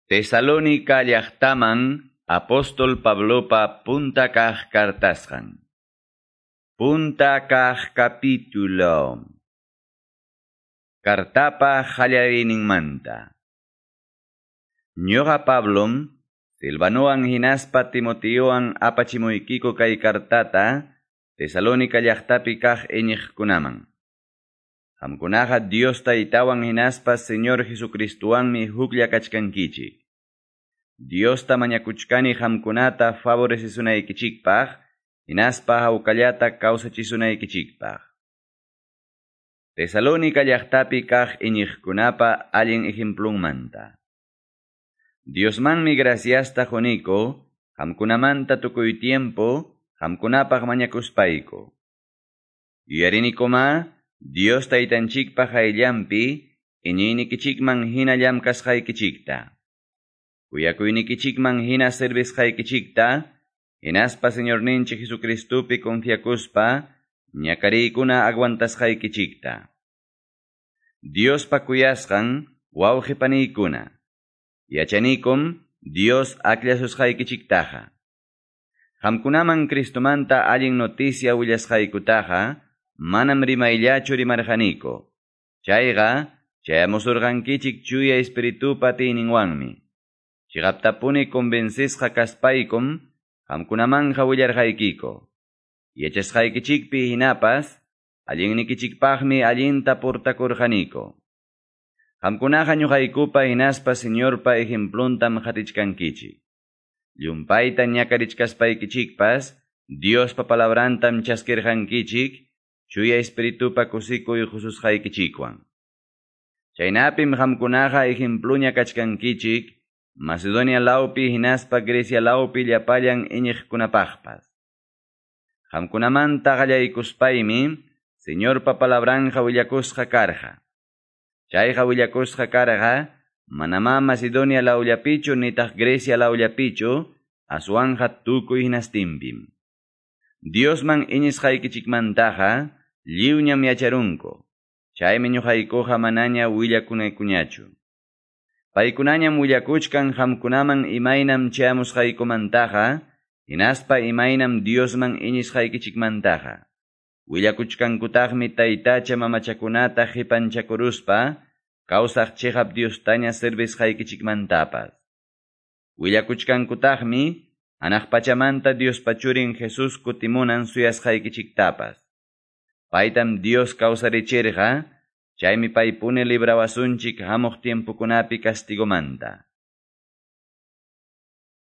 Tesalónica llaqtaman apóstol Pablopa punta kaq kartasqan. Punta kaq capítulo. Kartapa qallariyninmanta. Ñuqa Pablom, Silvanowan hinaspa Timoteowan apachimuykiku kay kartata Tesalónica llaqtapi kaq iñiqkunaman. Qamkunaqa Dios Taytawan hinaspa Señor Jesucristowanmi huklla kachkankichik. Diosta mañakuchkani qamkunata favorecesunaykichikpaq, hinaspa hawkallata kawsachisunaykichikpaq. Tesalónica llaqtapi kaq iñiqkunapa allin ejemplunmanta. Diosmanmi graciasta quniku, qamkunamanta tukuy tiempo, qamkunapaq mañakuspayku. Yuyarinikuma, Dios Taytanchikpa qayllanpi, iñiynikichikman hina llamkasqaykichikta. Kuyakuynikichikman hina servisqaykichikta, hinaspa Señorninchik Jesucristopi confiakuspa, ñakariykuna aguantasqaykichikta. Diospa kuyasqan wawqi paniykuna. Yachanikum Dios aklasusqaykichiktaqa. Qamkunaman Cristomanta allin noticia willasqaykutaqa, manam rimayllachu rimarqaniku. Chayqa, chayamusurqankichik chuya espiritupa atiyninwanmi. Chiqaptapuni convencisqa kaspaykum, qamkunamanja willarqaykiku. Yachasqaykichikpi hinapas, allinnikichikpaqmi allinta portakurqaniku. Qamkunaqa ñuqaykupa hinaspa Señorpa ejempluntam qatichkankichik. Llumpayta ñakarichkaspaykichikpas, Diospa palabrantam chaskirqankichik, chuya espiritupa kusikuy qususqaykichikwan. Chaynapim qamkunaqa ejempluña kachkankichik, Macedonia lawpi hinaspa Grecia lawpi llapallan iñiqkunapaqpas. Qamkunamanta qallaykuspaymi, Señorpa palabranja willakusqa karqa. Chayqa willakusqa karqa, manamá Macedonia lawllapichu nitaq Grecia lawllapichu, aswanja tukuy hinastinpim. Diosman iñisqaykichikmantaqa, lliwñam yacharunku. Chaymi ñuqaykuqa manaña willakunaykuñachu. Paykunañam willakuchkan qamkunaman imaynam chayamusqaykumantaqa, hinaspa imaynam Diosman iñisqaykichikmantaqa. Willakuchkankutaqmi taytacha mamachakunata qipanchakuruspa, kawsaq chiqap Diostaña servisqaykichikmantapas. Willakuchkankutaqmi hanaq pachamanta Diospa churin Jesús kutimunan suyasqaykichiktapas. Paytam Dios kawsarichirqa, chaymi paypuni librawasunchik hamuq tiempokunapi castigomanta.